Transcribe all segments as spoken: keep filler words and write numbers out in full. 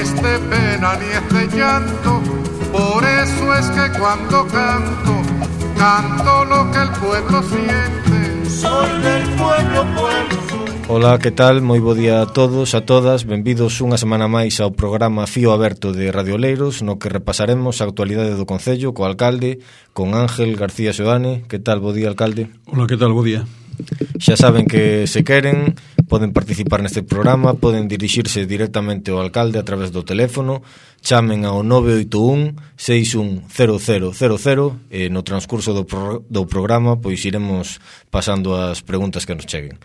es de pena ni es de llanto, por eso es que cuando canto, canto lo que el pueblo siente. Soy del pueblo, pueblo soy. Ola, que tal? Moi bo día a todos, a todas. Benvidos unha semana máis ao programa Fío Aberto de Radio Oleiros, no que repasaremos a actualidade do Concello co alcalde, con Ángel García Seoane. Que tal? Bo día, alcalde. Ola, que tal? Bo día. Xa saben que se queren poden participar neste programa, poden dirixirse directamente ao alcalde a través do teléfono, chamen ao nove oito un, seis un cero cero cero cero e no transcurso do, pro, do programa pois iremos pasando as preguntas que nos cheguen.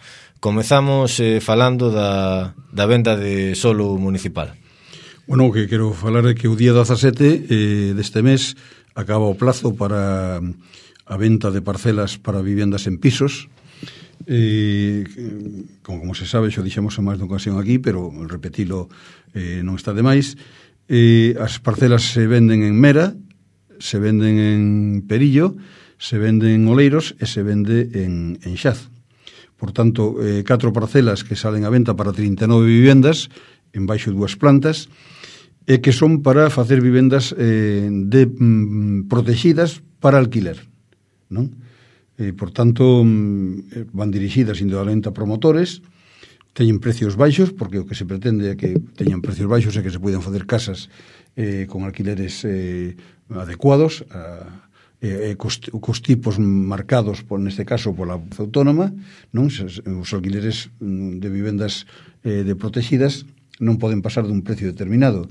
Comezamos eh, falando da, da venda de solo municipal. Bueno, o que quero falar é que o día dezasete eh, deste mes acaba o plazo para a venta de parcelas para vivendas en pisos. Eh, como, como se sabe, xo dixemos en máis de ocasión aquí, pero repetilo eh, non está de máis. Eh, as parcelas se venden en Mera, se venden en Perillo, se venden en Oleiros e se vende en, en Xaz. Por tanto, eh, catro parcelas que salen a venta para trinta e nove vivendas en baixo dúas plantas e que son para facer vivendas eh, de, mm, protegidas para alquiler, non? Eh, por tanto, mm, van dirixidas indudablemente a promotores, teñen precios baixos, porque o que se pretende é que teñan precios baixos e que se poden facer casas eh, con alquileres eh, adecuados a Eh, cos, cos tipos marcados, por, neste caso, pola autónoma, non? Os alquileres de vivendas eh, de protegidas non poden pasar dun precio determinado.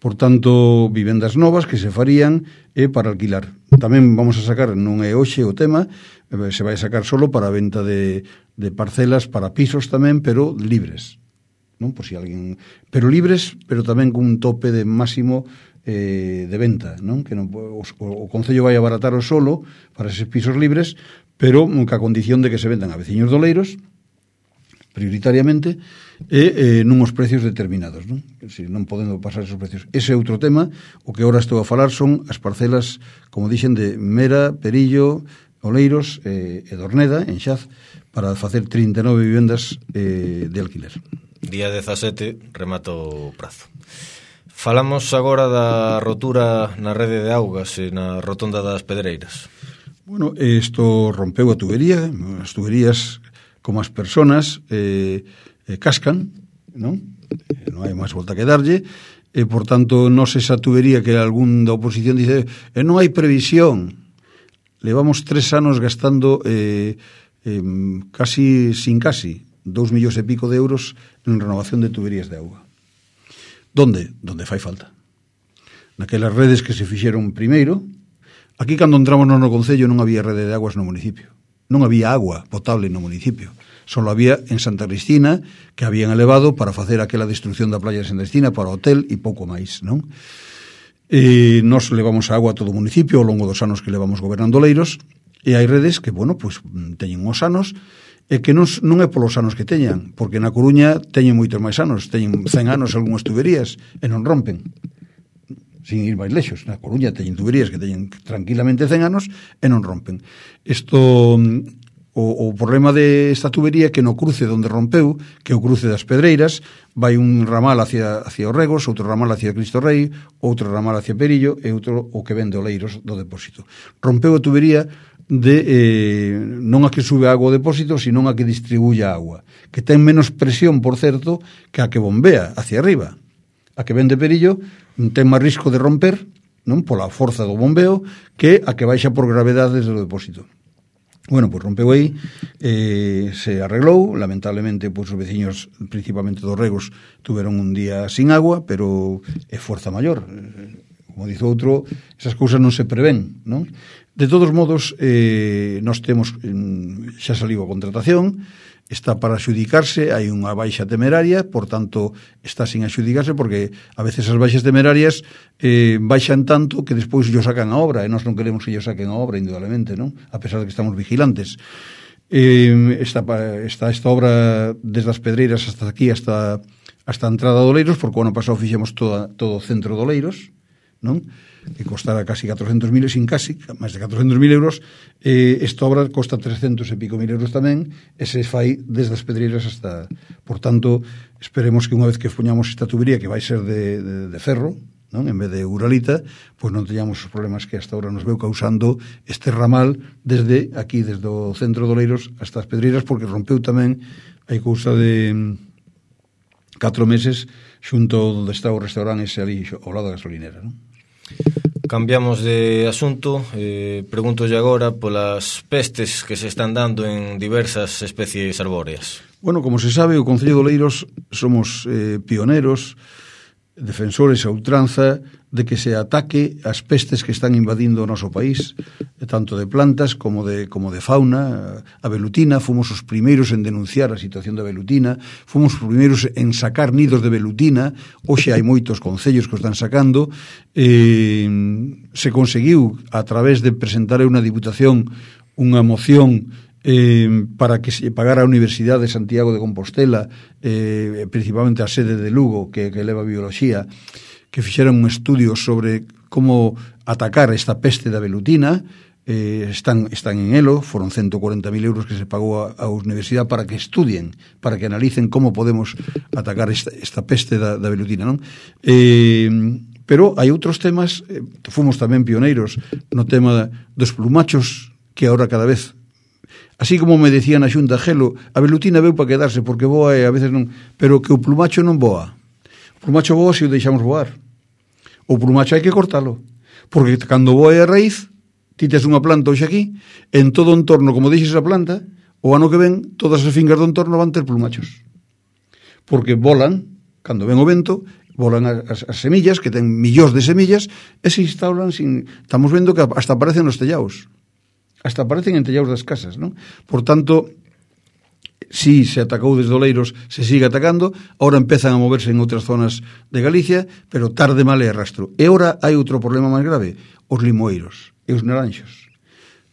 Por tanto, vivendas novas que se farían é eh, para alquilar. Tamén vamos a sacar, non é hoxe o tema, eh, se vai sacar solo para a venta de, de parcelas para pisos tamén, pero libres, non? Por si alguén, pero libres, pero tamén con un tope de máximo eh, de venta, non? Que non, o, o Concello vai abaratar o solo para eses pisos libres, pero ca condición de que se vendan a veciños de Oleiros prioritariamente e eh, nuns precios determinados, non? Si non podendo pasar esos precios. Ese é outro tema. O que agora estou a falar son as parcelas, como dixen, de Mera, Perillo, Oleiros eh, e Dorneda, en Xaz, para facer trinta e nove vivendas eh, de alquiler. Día dezasete remata o prazo. Falamos agora da rotura na rede de augas e na rotonda das Pedreiras. Bueno, isto rompeu a tubería, as tuberías como as personas eh, eh, cascan, non? Eh, non hai máis volta que darlle, e por tanto non sei esa tubería que algún da oposición dice e non hai previsión. Levamos tres anos gastando eh, eh, casi, sin casi, dous millóns e pico de euros en renovación de tuberías de auga. Donde? Donde fai falta. Naquelas redes que se fixeron primeiro. Aquí, cando entramos no Concello, non había rede de aguas no municipio. Non había agua potable no municipio. Solo había en Santa Cristina, que habían elevado para facer aquela destrucción da playa de Santa Cristina para hotel e pouco máis, non? E nos levamos a agua a todo o municipio ao longo dos anos que levamos gobernando Oleiros, e hai redes que, bueno, pues, teñen uns anos e que non, non é polos anos que teñan, porque na Coruña teñen moitos máis anos, teñen cen anos algunhas tuberías e non rompen, sin ir máis lexos. Na Coruña teñen tuberías que teñen tranquilamente cen anos e non rompen. Isto, o, o problema de esta tubería é que no cruce onde rompeu, que é o cruce das Pedreiras, vai un ramal hacia, hacia os Regos, outro ramal hacia Cristo Rei, outro ramal hacia Perillo e outro o que vende Oleiros do depósito. Rompeu a tubería de eh, non a que sube a agua ao depósito, sino a que distribuye a agua, que ten menos presión, por certo, que a que bombea hacia arriba. A que vende Perillo ten máis risco de romper, non, pola forza do bombeo, que a que baixa por gravedade desde o depósito. Bueno, pois rompeu aí, eh, se arreglou, lamentablemente, pois os veciños, principalmente dos Regos, tuveron un día sin agua, pero é forza maior. Como dice outro, esas cousas non se prevén, non? De todos modos, eh, nós temos, xa saliu a contratación, está para axudicarse, hai unha baixa temeraria, por tanto, está sin axudicarse, porque a veces as baixas temerarias eh, baixan tanto que despois yo sacan a obra, e nós non queremos que yo saquen a obra, indudablemente, non? A pesar de que estamos vigilantes. Eh, esta, esta, esta obra desde as Pedreiras hasta aquí, hasta, hasta a entrada de Oleiros, porque o ano pasado fixemos toda, todo o centro de Oleiros, non? Que costara casi catrocentos mil, sin casi, máis de catrocentos mil euros, eh, esta obra costa trescentos e pico mil euros tamén, e se fai desde as pedreiras hasta... Por tanto, esperemos que unha vez que poñamos esta tubería, que vai ser de, de, de ferro, non? En vez de uralita, pois non teñamos os problemas que hasta ahora nos veu causando este ramal desde aquí, desde o centro de Oleiros hasta as pedreiras, porque rompeu tamén, hai cousa de catro meses, xunto onde está o restaurante ese ali ao lado da gasolinera, non? Cambiamos de asunto, eh, pregúntolle agora polas pestes que se están dando en diversas especies arbóreas. Bueno, como se sabe, o Concello de Oleiros somos eh, pioneros, defensores a ultranza de que se ataque as pestes que están invadindo o noso país, tanto de plantas como de, como de fauna. A velutina, fomos os primeiros en denunciar a situación da velutina, fomos os primeiros en sacar nidos de velutina, hoxe hai moitos concellos que o están sacando, eh, se conseguiu a través de presentar unha diputación unha moción Eh, para que se pagara a Universidade de Santiago de Compostela, eh, principalmente a sede de Lugo, que, que leva bioloxía, que fixeran un estudio sobre como atacar esta peste da velutina. eh, están, están en elo, foron ciento cuarenta mil euros que se pagou a, a Universidade para que estudien, para que analicen como podemos atacar esta, esta peste da, da velutina, non? Eh, pero hai outros temas, eh, fomos tamén pioneiros no tema dos plumachos, que agora cada vez... Así como me decían a Xunta, Gelo, a velutina veu para quedarse, porque voa e a veces non... Pero que o plumacho non voa. O plumacho voa se o deixamos voar. O plumacho hai que cortalo. Porque cando voa a raíz, ti tes unha planta hoxe aquí, en todo o entorno, como deixes a planta, o ano que ven, todas as fincas do entorno van ter plumachos. Porque volan, cando ven o vento, volan as, as semillas, que ten millóns de semillas, e se instauran sin... Estamos vendo que hasta aparecen nos tellaos. Hasta aparecen en tellaos das casas, non? Por tanto, si se atacou desde Oleiros, se sigue atacando, ahora empezan a moverse en outras zonas de Galicia, pero tarde, mal e rastro. E ahora hai outro problema máis grave, os limoeiros e os naranxos.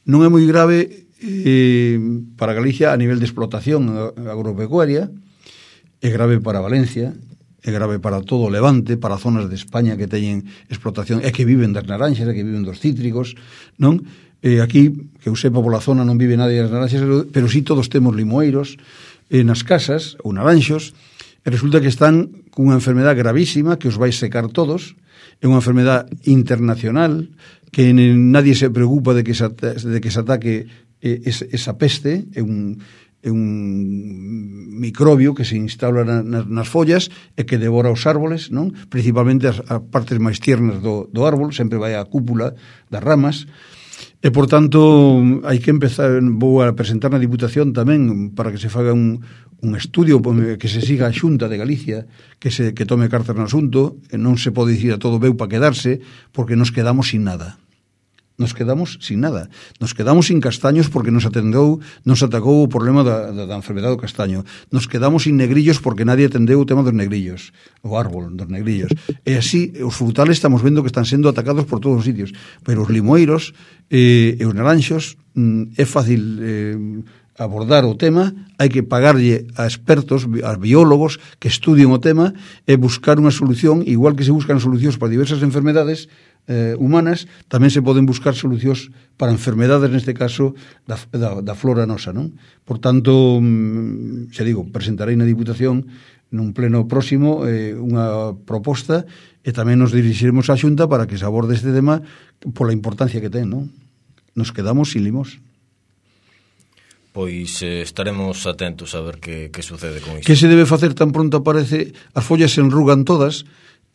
Non é moi grave eh, para Galicia a nivel de explotación agropecuaria, é grave para Valencia, é grave para todo o Levante, para zonas de España que teñen explotación, e que viven das naranxas, e que viven dos cítricos, non? Eh, aquí, que eu sepa, pola zona non vive nadie das naranxas, pero sí todos temos limoeiros eh, nas casas, ou naranxos, e resulta que están cunha enfermedade gravísima que os vai secar todos, é unha enfermedade internacional, que nadie se preocupa de que se, de que se ataque eh, esa peste, é un, é un microbio que se instala na, na, nas follas e que devora os árboles, non? Principalmente as, as partes máis tiernas do, do árbol, sempre vai á cúpula das ramas. E, por tanto, hai que empezar, vou a presentar na Diputación tamén para que se faga un, un estudio, que se siga a Xunta de Galicia, que se que tome cartas no asunto, e non se pode dicir a todo veu para quedarse, porque nos quedamos sin nada. Nos quedamos sin nada. Nos quedamos sin castaños porque nos atendeu, nos atacou o problema da, da, da enfermedade do castaño. Nos quedamos sin negrillos porque nadie atendeu o tema dos negrillos, o árbol dos negrillos. E así, os frutales estamos vendo que están sendo atacados por todos os sitios. Pero os limoeiros eh, e os naranxos mm, é fácil eh, abordar o tema, hai que pagarlle a expertos, a biólogos que estudien o tema e buscar unha solución, igual que se buscan solucións para diversas enfermedades Eh, humanas, tamén se poden buscar solucións para enfermedades, neste caso, da, da, da flora nosa, non? Por tanto, xa digo, presentarei na Diputación nun pleno próximo eh, unha proposta e tamén nos dirixiremos á Xunta para que se aborde este tema pola importancia que ten, non? Nos quedamos sin limos. Pois eh, estaremos atentos a ver que, que sucede con isto. Que se debe facer tan pronto aparece? As follas se enrugan todas.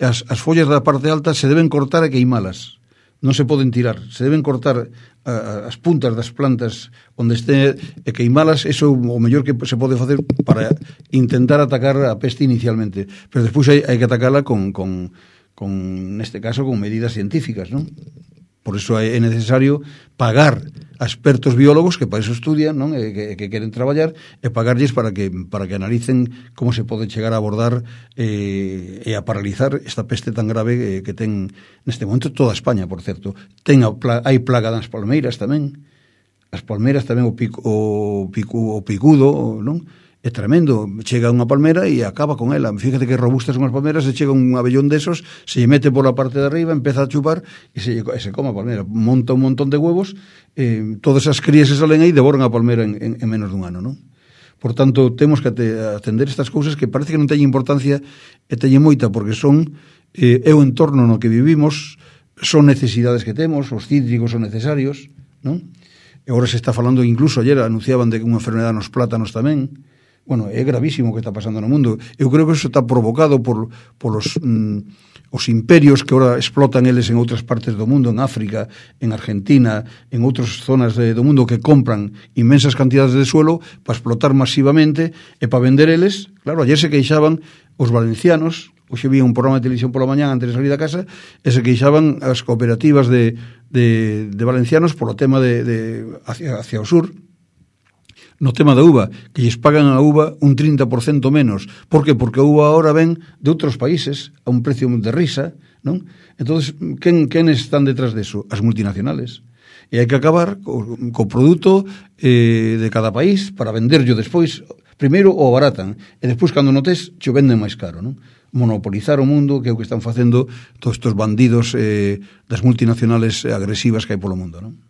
As, as follas da parte alta se deben cortar e queimalas, non se poden tirar, se deben cortar a, as puntas das plantas onde este e queimalas, eso é o mellor que se pode facer para intentar atacar a peste inicialmente, pero despois hai, hai que atacala con, con, con, neste caso, con medidas científicas, non? Por iso é necesario pagar a expertos biólogos que para iso estudian, non? E que, que queren traballar e pagarlles para que para que analicen como se pode chegar a abordar eh, e a paralizar esta peste tan grave eh, que ten neste momento toda España, por certo. Ten a, hai plaga das palmeiras tamén. As palmeiras tamén o, pico, o, pico, o picudo, non? é tremendo, chega unha palmera e acaba con ela. Fíjate que robustas son as palmeras, se chega un abellón desos, se lle mete por la parte de arriba, empeza a chupar e se, e se come a palmera, monta un montón de huevos, eh, todas as crías se salen aí e devoran a palmera en, en, en menos dun ano, non? Por tanto, temos que atender estas cousas que parece que non teñen importancia e teñen moita, porque son eh, é o entorno no que vivimos, son necesidades que temos, os cítricos son necesarios, non? E agora se está falando, incluso ayer anunciaban de unha enfermedade nos plátanos tamén. Bueno, é gravísimo o que está pasando no mundo. Eu creo que eso está provocado por, por os, mm, os imperios que ahora explotan eles en outras partes do mundo, en África, en Argentina, en outras zonas de, do mundo que compran inmensas cantidades de suelo para explotar masivamente e para vender eles. Claro, ayer se queixaban os valencianos, hoxe vi un programa de televisión pola mañá antes de salir da casa, e se queixaban as cooperativas de, de, de valencianos polo tema de, de hacia, hacia o sur, no tema da uva, que lles pagan a uva un trinta por cento menos. Por que? Porque a uva ahora ven de outros países a un precio de risa, non? Entonces, quen, quen están detrás deso? As multinacionales. E hai que acabar co, co produto eh, de cada país para venderlo despois. Primeiro o baratan, e despois, cando notes, xo venden máis caro, non? Monopolizar o mundo, que é o que están facendo todos estes bandidos eh, das multinacionales agresivas que hai polo mundo, non?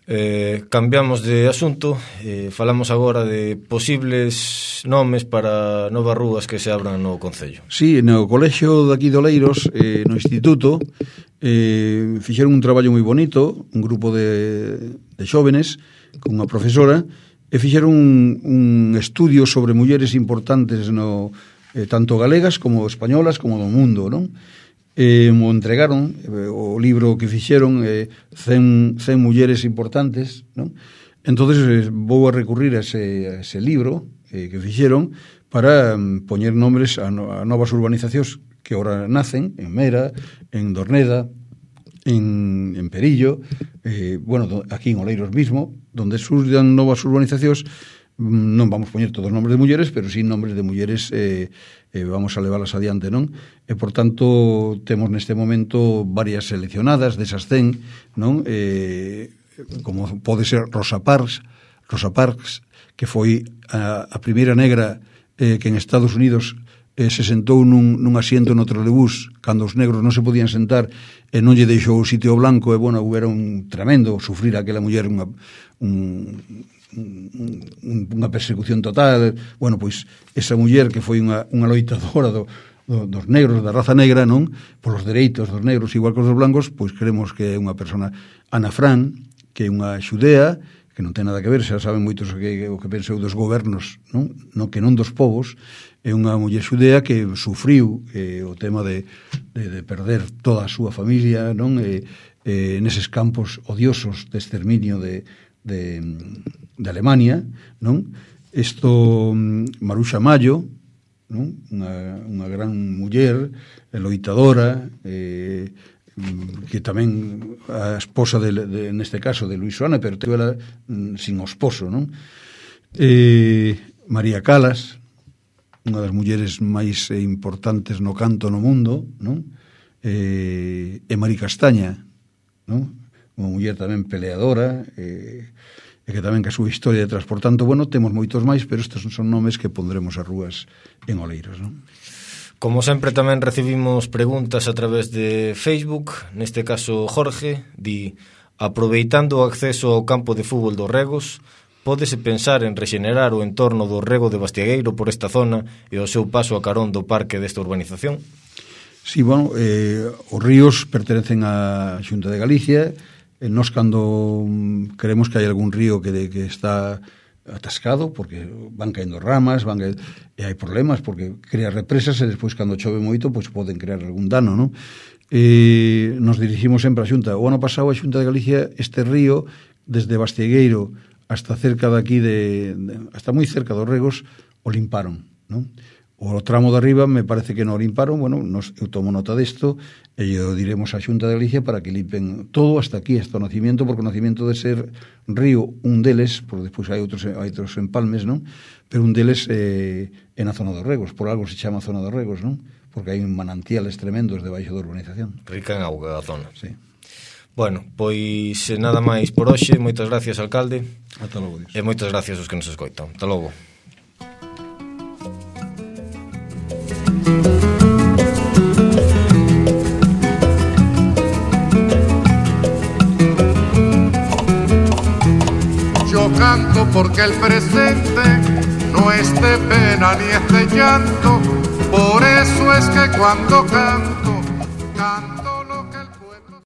Eh, cambiamos de asunto, eh, falamos agora de posibles nomes para novas rúas que se abran no Concello. Sí, no colexio daqui de Oleiros, eh, no instituto, eh, fixeron un traballo moi bonito, un grupo de, de xóvenes con unha profesora, e fixeron un, un estudio sobre mulleres importantes no, eh, tanto galegas como españolas como do mundo, non? Eh, mo entregaron eh, o libro que fixeron eh, cen, cen mulleres importantes, non? Entonces eh, vou a recurrir a ese, a ese libro eh, que fixeron para um, poñer nombres a, no, a novas urbanizacións que ahora nacen en Mera, en Dorneda, en, en Perillo, eh, bueno, do, aquí en Oleiros mismo, donde surjan novas urbanizacións. Non vamos poñer todos os nombres de mulleres, pero sí nombres de mulleres eh, eh, vamos a leválas adiante, non? E, por tanto, temos neste momento varias seleccionadas desas cen, non? Eh, como pode ser Rosa Parks, Rosa Parks, que foi a, a primeira negra eh, que en Estados Unidos eh, se sentou nun, nun asiento no trolebús cando os negros non se podían sentar e non lle deixou o sitio blanco, e, bueno, era un tremendo sufrir aquela muller unha, un... unha persecución total. Bueno, pois esa muller que foi unha, unha loitadora do, do, dos negros, da raza negra, non? Polos dereitos dos negros igual que os dos blancos, pois creemos que é unha persona. Ana Fran, que é unha xudea, que non ten nada que ver, xa saben moitos o que, o que pensou dos gobernos, non? No, que non dos povos, é unha muller xudea que sufriu eh, o tema de, de, de perder toda a súa familia, non? E, eh, neses campos odiosos de exterminio de de, de Alemania, non? Isto, Maruxa Mayo, non? Unha, unha gran muller, loitadora, eh, que tamén a esposa de, de, neste caso de Luis Suárez, pero teve ela sin o esposo, non? Eh, María Calas, unha das mulleres máis importantes no canto no mundo, non? Eh, e Mari Castaña, non? Unha muller tamén peleadora, eh, e que tamén que a súa historia detrás. Por tanto, bueno, temos moitos máis, pero estes son nomes que pondremos as rúas en Oleiros, non? Como sempre tamén recibimos preguntas a través de Facebook. Neste caso Jorge di: aproveitando o acceso ao campo de fútbol dos Regos, pódese pensar en rexenerar o entorno do Rego de Bastiagueiro por esta zona e o seu paso a carón do parque desta urbanización? Sí, bueno, eh, os ríos pertenecen á Xunta de Galicia. E nos, cando queremos que hai algún río que, de, que está atascado, porque van caendo ramas, van caendo, e hai problemas, porque crea represas, e despois, cando chove moito, pois poden crear algún dano, non? E nos dirigimos sempre á Xunta. O ano pasado, a Xunta de Galicia, este río, desde Bastegueiro hasta cerca de aquí, de, de, hasta moi cerca dos Regos, o limparon, non? O tramo de arriba me parece que non o limparon. Bueno, nos, eu tomo nota desto e yo diremos á Xunta de Galicia para que limpen todo hasta aquí, hasta o nacimiento, porque o nacimiento de ser río, un deles, porque despois hai outros, hai outros empalmes, non? Pero un deles eh, é na zona dos Regos, por algo se chama zona dos Regos, non? Porque hai manantiales tremendos debaixo da urbanización. Rica en auga a zona. Sí. Bueno, pois nada máis por hoxe. Moitas gracias, alcalde. Ata logo, Dios. E moitas gracias aos que nos escoitan. Ata logo. canto porque el presente no es de pena ni es de llanto. Por eso es que cuando canto, canto.